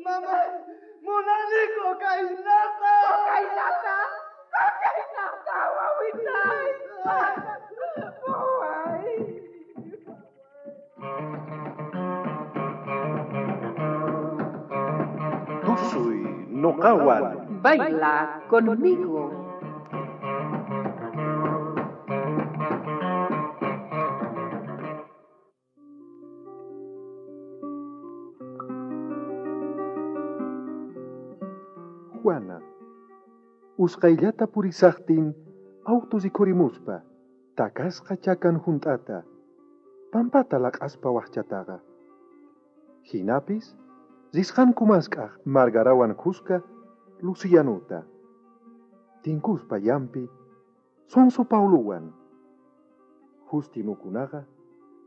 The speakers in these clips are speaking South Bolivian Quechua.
Mamá, munani cocainata. Cocainata. Cocainata, wawitay. Waway. Tusuy noqawan. Baila conmigo. Juana, usqayllata purisaqtin auto rikhurimuspa takasqa chakan hunt'ata, pampata laq'aspa waqchataqa. Hinapis risqanku mask'aq Margarawan khuska Lucianuta. Tinkuspa llampi Sonso Pauluwan. Justinukunaqa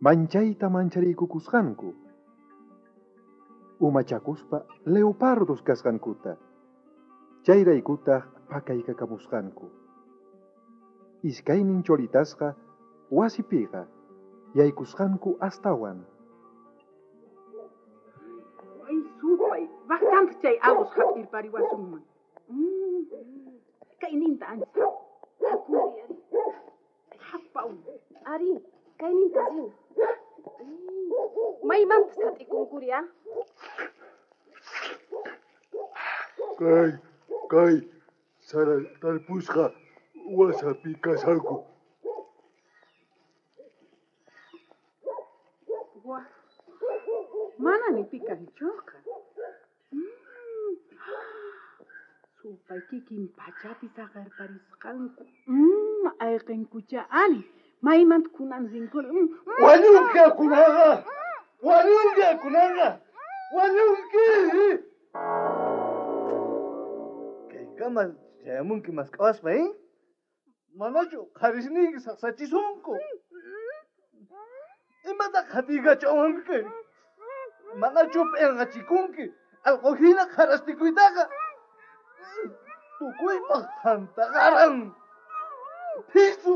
manchayta manchariykukusqanku. Umachakuspa leopardos kasqankuta. Chayraykutaq pakaykakamusqanku. Iskaynin cholitasqa wasipiqa yaykusqanku astawan. Ay, supay, bastante chay awus hap'irpariwasunman. Kayninta ancha. Hakuri ari. Hapaw. Ari, kayninta rina. Maymantas sat'ikunkuri, ah? Kay sara tarpusqa wasapi kashanku. Wah. Mana ni pi kanchoqa. Supay kikin pachapi saqerparisqanku. Ayqinkucha ani. Maymanta kunan rinkuri. Wañunki kunaqa. Wañunki kunaqa. Wañunki. Kaykama chayamunki mask'awaspa, eh? Manachu qharisniyki saqsachisunku. Imata qhatiykachawanki? Manachu p'inqachikunki allquhina qharastikuytaqa? Tukuypaq thantaqaran. Phisu.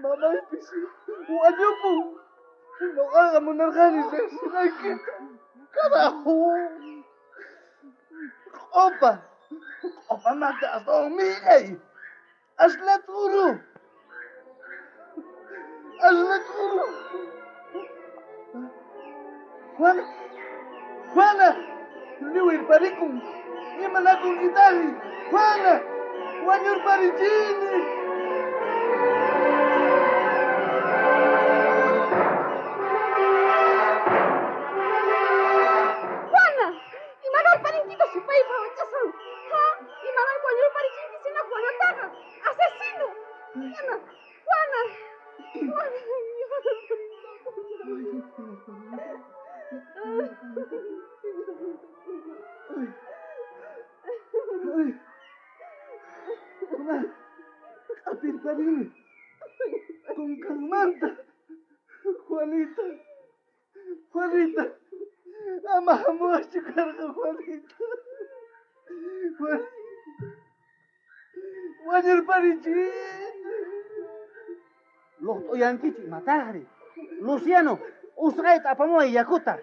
Mamaypis wañupun. Noqaqa munarqani riqsinaykita. Carajo. Q'opa. Q'opamanta astawan millay. Asla t'uru. Asla t'uru. Juana. Juana. Liwirparikun. Imanakunkitaqri. Juana. Wañurparichini. Juana, imanarparinkita supaypa wachasan. Ha, imanar wañurparichinki sina Juanataqa. Asesino. Juana, Juana. Juana, Ay. Mamá, q'apirparini. Kunkanmanta. Juanita. Juanita. Ama hamuwaschu karqa, Juanita. Juanita. Wañurparichini. Luqt'uyankichu imataqri? Luciano, usqayta apamuway yakuta.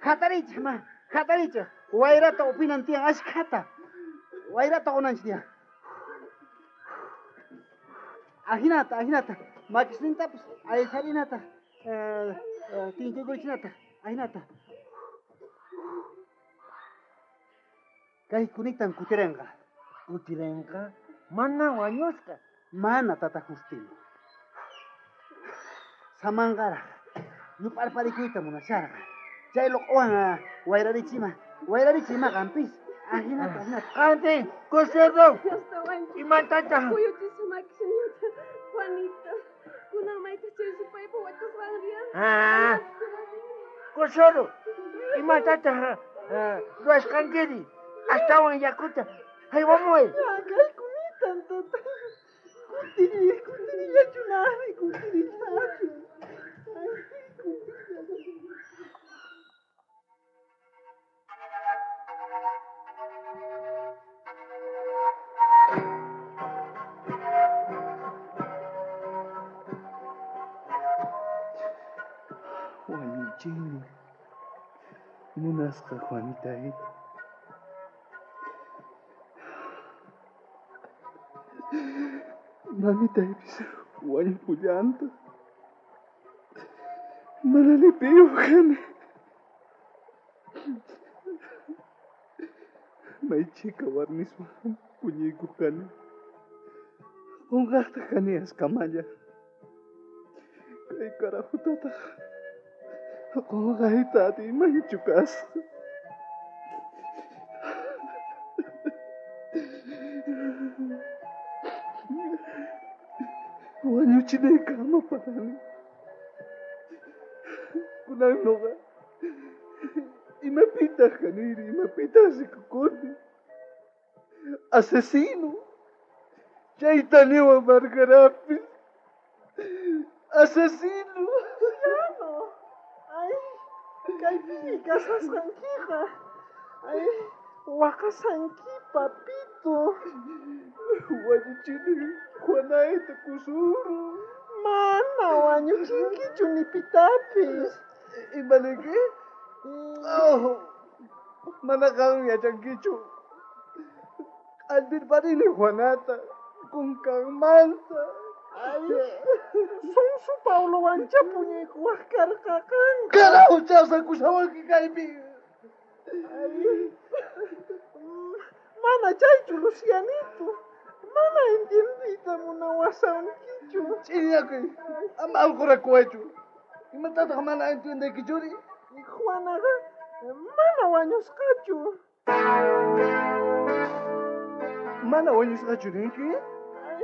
Hatarichej ma, hatarichej. Wayrata upinan tiyan ashkhata. Wayrata qunanchik tiyan. Ajinata, ajinata. Makisnintapis aysarinata. Tinkuykuchinata, ajinata. Kay kunitan kutirenqa. Kutirenqa? Mana wañusqa. Mana, tata Justino. Samanqaraq. Yup'arparikuyta munasharqa. Chay luq'uwan wayrarichima. Wayrarichima qampis. Ajinata, ajinata. Qanti, Coserro. Imatataq? Kuyuchisqa makisninta, Juanita. Kunan mayta chay supaypa wachasqanriyan. Ah. Coserro, imatataq ruwasqankiri? Astawan yakuta haywamuway. Kay kunitan, tata. Kutiri, kutirillachunari, kutirillachu. Ay, kutirillachu. Wañuchini. Munasqa Juanitay. Mamitaypis wañupullantaq. Mana ni piyuq kani. May chhika warmiswan puñuykuq kani. Qunqaqtaq kani askamalla. Kay carajutataq qunqayta atiymanchu kasqa. Wañuchinaykama parani. Kunan noqa imapitaq kaniri, imapitaq rikukuni. Asesino. Chayta niwan Margarapis. Asesino. Luciano. Ay, kaypi kasasqankiqa. Ay, waqasanki, papito. Wañuchini Juanayta kusuru. Mana wañuchinkichu ni pitapis. Imaniki? Oh, mana qan yachankichu. Q'altirparini Juanata kunkanmanta. Ay, Sonso Paulowancha puñuykuwaq karqa qanqa. Carajo, chawsakushawanki kaypi. Ay, mana chaychu, Lucianito. Mana entiendiyta munawasankichu. Ch'iñakuy, ama alqurakuwaychu. Imatataq mana entiendeykichuri? Juanaqa mana wañusqachu. Mana wañusqachu ninki? Ay,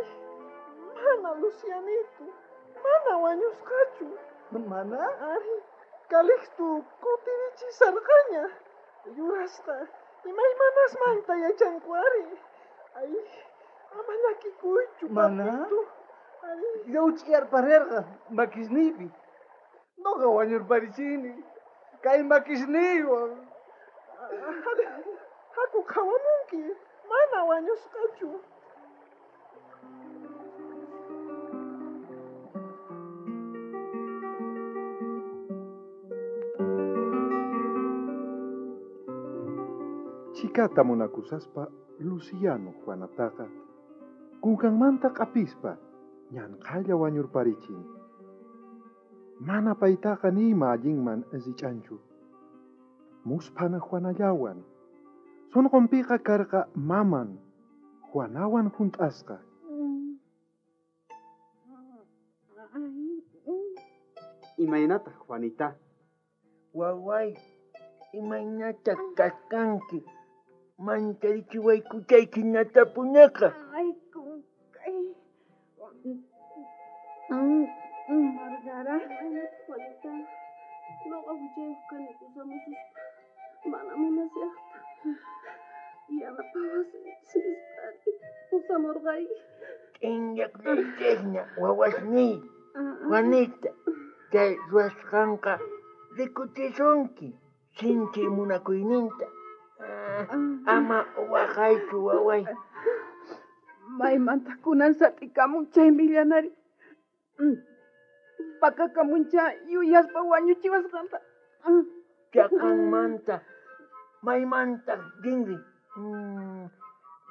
mana, Lucianito. Mana wañusqachu. Mana? Ay, Calixto kutirichisarqaña. Yurasqa imaymanasmanta yachanku ari. Ay, ama llakikuychu, Mana? papito. Ay, Llawch'iyarparerqa makisniypi. Noqa wañurparichini. Kay makisniywan. Haku qhawamunki. Mana wañusqachu. Chhikata munakusaspa Luciano Juanataqa kunkanmanta q'apispa ñanqhalla wañurparichin. Mana paytaqa nima allinman rich'anchu. Musphana Juanallawan. Sunqunpiqa karqa maman Juanawan junt'asqa. Imaynataq, Juanita? Waway, imaynataq kasqanki? Mancharichiwaykuchayki natapunaqa. Ay, kunkay. Margara. Juanita, noqa huchayuq kani pusamususpa. Mana munasaqta. Yanapawasinchis nispari pusamurqayki. Ch'inllaqllaychejña wawasniy. Juanita, chay ruwasqanqa rikuchisunki sinchi munakuyninta. Ama waqaychu waway. Maymanta kunan sat'ikamun chay millanari. Pakakamuncha yuyaspa wañuchiwasqanta. Chaqanmanta maymanta rinri.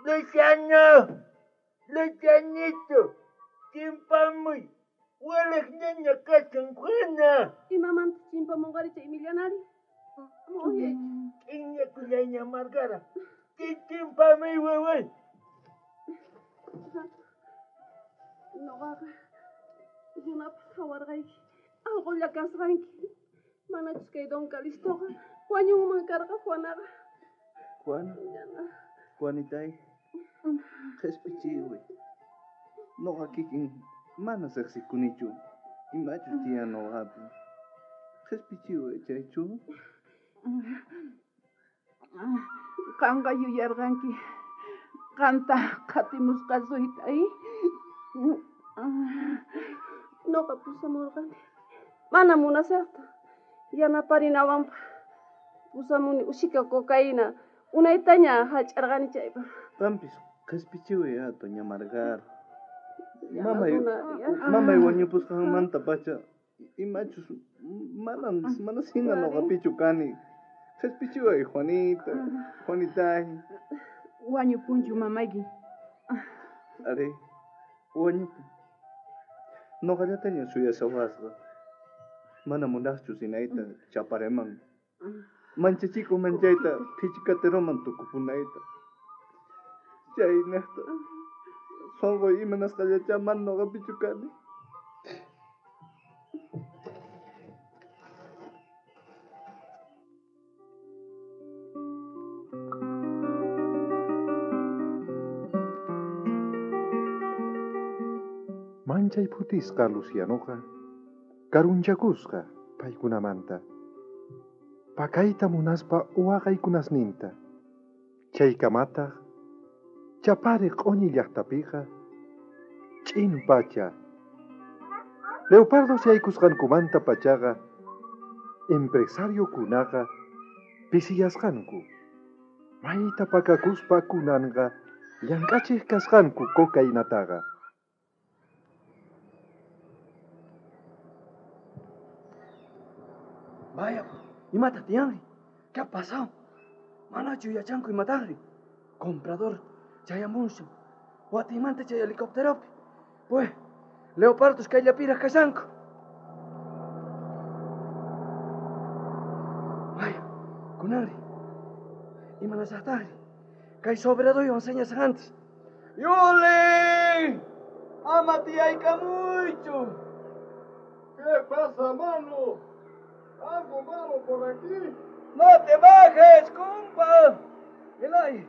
Luciano, Lucianito, chimpamuy. Waliq ñaña kashan Juana. Imamanta chimpamunqari chay millanari? Ama uyaychu. Ch'inllakullayña Margara. Chimpamuy waway. Noqaqa runapaq qhawarqayki. Allqulla kasqanki. Manachus kay Don Calistoqa wañunman karqa Juanaqa. Juana, Juanitay, qhispichiway. Noqa kikin mana riqsikunichu. Imachus tiyan noqapi. Qhispichiway chaychu. Qanqa yuyarqanki. Qanta qhatimusqasuyta, Noqa pusamurqani. Mana munasaqta. Yanaparinawanpaq pusamuni ushika cocaína. Unaytaña hallch'arqani chaypaq. Qampis qhispichiway a doña Margara. Mamay Mamay wañupusqanmanta pacha imachus mana sina noqapichu kani. Qhispichiway, Juanita. Juanitay. Wañupunchu mamayki. Arí, wañupun. Noqallataña suyashawasqa. Mana munaqchu rinayta Chapareman. Manchachiko manchayta phichikateroman tukupunayta. Chaynejta sonqoy imanasqallachá mana noqapichu kani. Manchay phutisqa Lucianoqa karunchakusqa paykunamanta. Pakayta munaspa waqaykunasninta. Chaykamataq Chapare q'uñi llaqtapiqa ch'in pacha. Leopardos yaykusqankumanta pachaqa empresariokunaqa pisiyasqanku. Mayta pakakuspa kunanqa llank'achiq kasqanku cocainataqa. Vaya, imata tiyanri? ¿Qué ha pasado? Manachu yachanku imataqri? Comprador chayamunsan. Watimanta chay helicópteropi. Pues, leopardos kayllapiraq kashanku. Vaya, kunanri. Imanasaqtaqri? Kay sobradoywan señas antes. ¡Yuli! ¡Ama tiyaykamuychu! ¿Qué pasa, mano? Algo malo por aquí. ¡No te bajes, compa! Elay,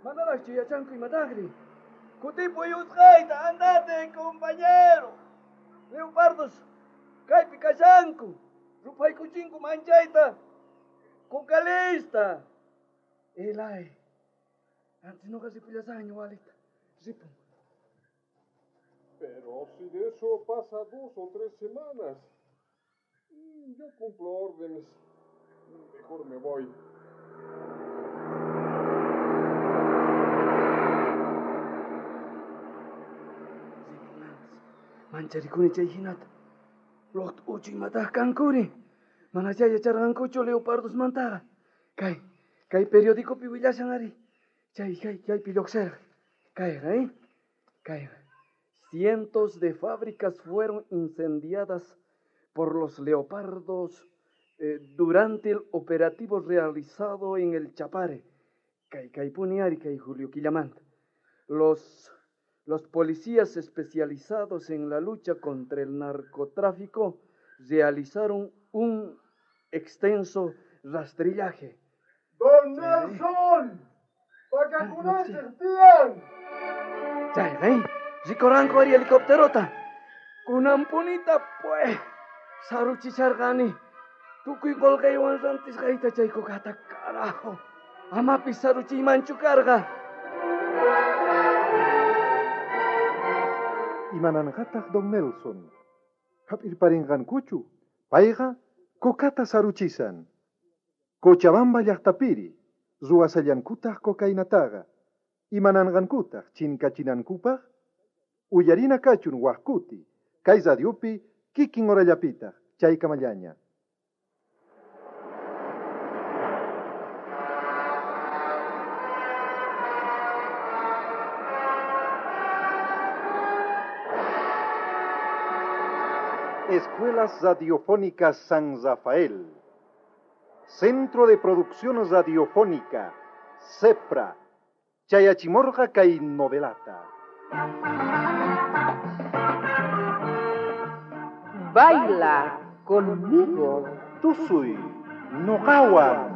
manaraqchu yachanku imataqri. Kutipuy usqhayta, andate, compañero. Leopardos, kaypi kashanku. Rupaykuchinku manchayta. Kukalista. Elay, antes noqa ripullasaqña walita. Ripun. Pero si de eso pasa 2 o 3 semanas. Yo cumplo órdenes. Mejor me voy. Mancharikuni chay hinata. Loqta uchu imataq kankuri. Mana chay yacharqankuchu leopardosmantaqa. Kay periodicopi willashan ari. Chay kaypi lluqsirqa. Kayqa, Kayqa. Cientos de fábricas fueron incendiadas por los leopardos durante el operativo realizado en el Chapare. Kay puni ari kay Julio Quillamanta. Los policías especializados en la lucha contra el narcotráfico realizaron un extenso rastrillaje. ¡Don Nelson! ¡Pakakunanchik tiyan! Chay, Rikuranku ari helicópterota. Kunanpunita, pues, saruchicharqani. Tukuy qolqaywan rantisqayta chay kukata, carajo. Amapis saruchiymanchu karqa. Imananqataq don Nelson. Hap'irparinqankuchu. Payqa kokata saruchisan. Cochabamba llaqtapiri ruwasallankutaq cocainataqa. Imananqankutaq chinkachinankupaq. Uyarina kachun waqkuti. Kay radiopi kikin horallapitaq chaykamallaña. Escuelas Radiofónicas San Rafael. Centro de Producción Radiofónica, CEPRA. Chayachimorja kay novelata. Baila conmigo. Tusuy, noqawan.